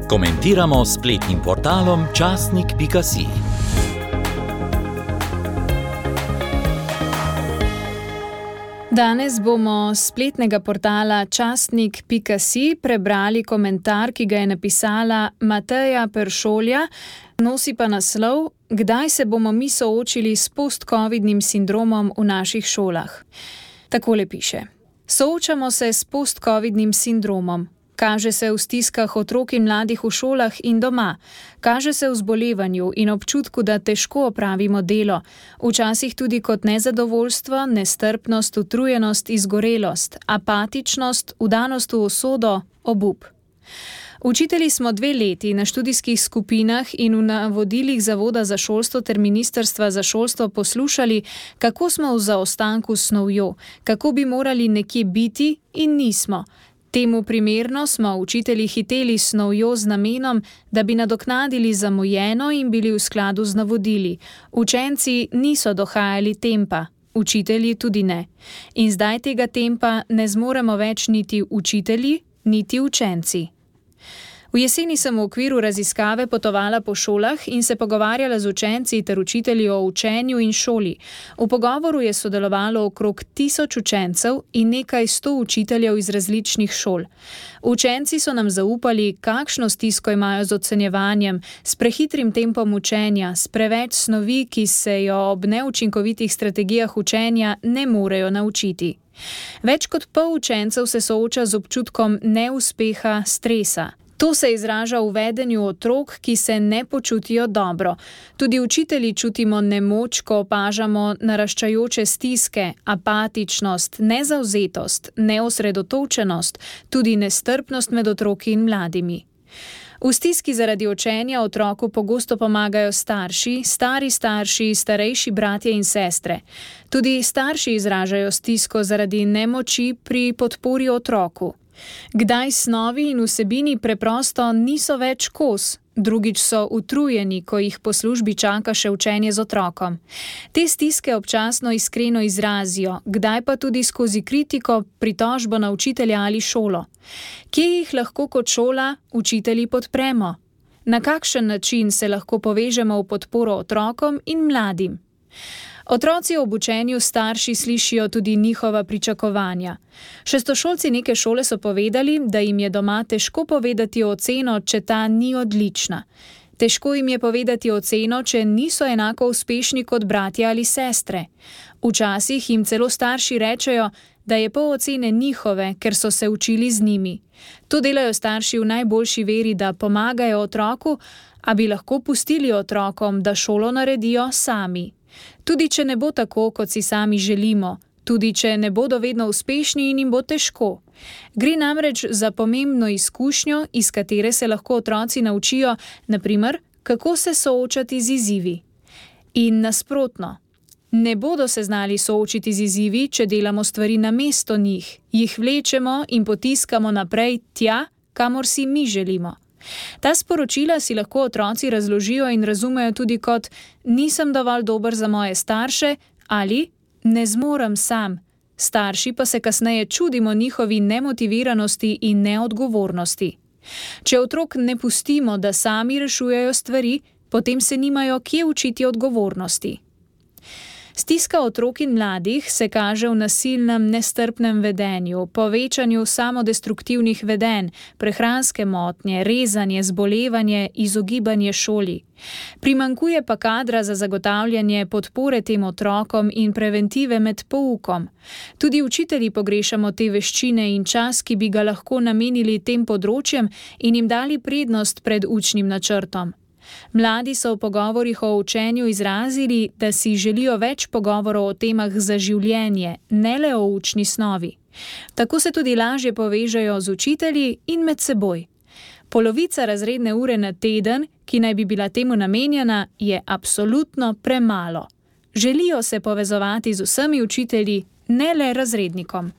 Komentiramo s spletnim portalom časnik.si. Danes bomo s spletnega portala časnik.si prebrali komentar, ki ga je napisala Mateja Peršolja, nosi pa naslov: Kdaj se bomo mi soočili s post-covidnim sindromom v naših šolah? Takole piše: Soočamo se s post-covidnim sindromom. Kaže se v stiskah otrok in mladih v šolah in doma. Kaže se v zbolevanju in občutku, da težko opravimo delo. Včasih tudi kot nezadovoljstvo, nestrpnost, utrujenost, izgorelost, apatičnost, vdanost v usodo, obup. Učitelji smo 2 leti na študijskih skupinah in v navodilih Zavoda za šolstvo ter Ministrstva za šolstvo poslušali, kako smo v zaostanku s snovjo, kako bi morali nekje biti in nismo. Temu primerno smo učitelji hiteli s snovjo z namenom, da bi nadoknadili zamujeno in bili v skladu z navodili. Učenci niso dohajali tempa, učitelji tudi ne. In zdaj tega tempa ne zmoremo več niti učitelji, niti učenci. V jeseni sem v okviru raziskave potovala po šolah in se pogovarjala z učenci ter učitelji o učenju in šoli. V pogovoru je sodelovalo okrog 1000 učencev in nekaj 100 učiteljev iz različnih šol. Učenci so nam zaupali, kakšno stisko imajo z ocenjevanjem, s prehitrim tempom učenja, s preveč snovi, ki se jo ob neučinkovitih strategijah učenja ne morejo naučiti. Več kot pol učencev se sooča z občutkom neuspeha, stresa. To se izraža v vedenju otrok, ki se ne počutijo dobro. Tudi učitelji čutimo nemoč, ko opažamo naraščajoče stiske, apatičnost, nezavzetost, neosredotočenost, tudi nestrpnost med otroki in mladimi. V stiski zaradi učenja otroku pogosto pomagajo starši, stari starši, starejši bratje in sestre. Tudi starši izražajo stisko zaradi nemoči pri podpori otroku. Kdaj snovi in vsebini preprosto niso več kos, drugič so utrujeni, ko jih po službi čaka še učenje z otrokom. Te stiske občasno iskreno izrazijo, kdaj pa tudi skozi kritiko, pritožbo na učitelja ali šolo. Kje jih lahko kot šola učitelji podpremo? Na kakšen način se lahko povežemo v podporo otrokom in mladim? Otroci ob učenju starši slišijo tudi njihova pričakovanja. Šestošolci neke šole so povedali, da jim je doma težko povedati oceno, če ta ni odlična. Težko jim je povedati oceno, če niso enako uspešni kot bratje ali sestre. Včasih jim celo starši rečejo, da je pol ocene njihove, ker so se učili z njimi. To delajo starši v najboljši veri, da pomagajo otroku, a bi lahko pustili otrokom, da šolo naredijo sami. Tudi če ne bo tako, kot si sami želimo, tudi če ne bodo vedno uspešni in jim bo težko. Gre namreč za pomembno izkušnjo, iz katere se lahko otroci naučijo, na primer, kako se soočati z izzivi. In nasprotno, ne bodo se znali soočiti z izzivi, če delamo stvari namesto njih, jih vlečemo in potiskamo naprej tja, kamor si mi želimo. Ta sporočila si lahko otroci razložijo in razumejo tudi kot nisem dovolj dober za moje starše ali ne zmorem sam. Starši pa se kasneje čudimo njihovi nemotiviranosti in neodgovornosti. Če otrok ne pustimo, da sami rešujejo stvari, potem se nimajo kje učiti odgovornosti. Stiska otrok in mladih se kaže v nasilnem, nestrpnem vedenju, povečanju samodestruktivnih vedenj, prehranske motnje, rezanje, zbolevanje, izogibanje šoli. Primanjkuje pa kadra za zagotavljanje podpore tem otrokom in preventive med poukom. Tudi učitelji pogrešamo te veščine in čas, ki bi ga lahko namenili tem področjem in jim dali prednost pred učnim načrtom. Mladi so v pogovorih o učenju izrazili, da si želijo več pogovorov o temah za življenje, ne le o učni snovi. Tako se tudi lažje povežejo z učitelji in med seboj. Polovica razredne ure na teden, ki naj bi bila temu namenjena, je absolutno premalo. Želijo se povezovati z vsemi učitelji, ne le razrednikom.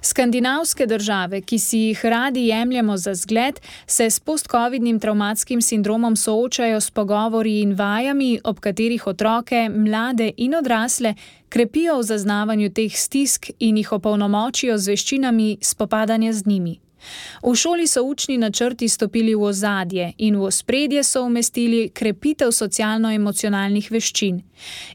Skandinavske države, ki si jih radi jemljemo za zgled, se s postcovidnim travmatskim sindromom soočajo s pogovori in vajami, ob katerih otroke, mlade in odrasle krepijo v zaznavanju teh stisk in jih opolnomočijo z veščinami spopadanja z njimi. V šoli so učni načrti stopili v ozadje in v ospredje so umestili krepitev socialno-emocionalnih veščin.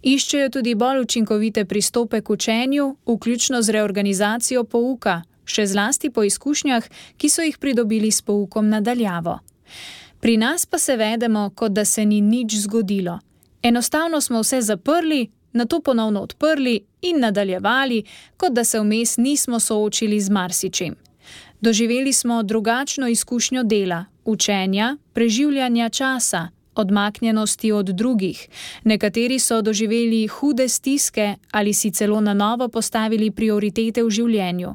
Iščejo tudi bolj učinkovite pristope k učenju, vključno z reorganizacijo pouka, še zlasti po izkušnjah, ki so jih pridobili s poukom na daljavo. Pri nas pa se vedemo, kot da se ni nič zgodilo. Enostavno smo vse zaprli, nato ponovno odprli in nadaljevali, kot da se vmes nismo soočili z marsičim. Doživeli smo drugačno izkušnjo dela, učenja, preživljanja časa, odmaknjenosti od drugih. Nekateri so doživeli hude stiske ali si celo na novo postavili prioritete v življenju.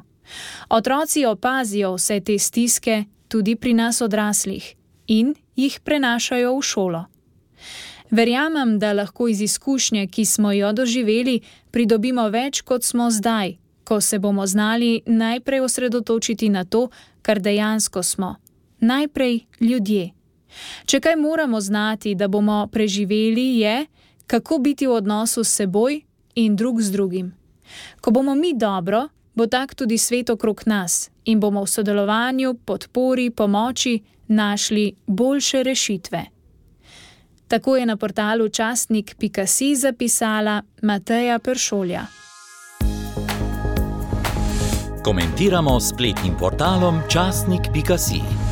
Otroci opazijo vse te stiske tudi pri nas odraslih in jih prenašajo v šolo. Verjamem, da lahko iz izkušnje, ki smo jo doživeli, pridobimo več, kot smo zdaj, ko se bomo znali najprej osredotočiti na to, kar dejansko smo. Najprej ljudje. Če kaj moramo znati, da bomo preživeli, je, kako biti v odnosu s seboj in drug z drugim. Ko bomo mi dobro, bo tak tudi svet okrog nas in bomo v sodelovanju, podpori, pomoči našli boljše rešitve. Tako je na portalu časnik.si zapisala Mateja Peršolja. Komentiramo s spletnim portalom časnik.si.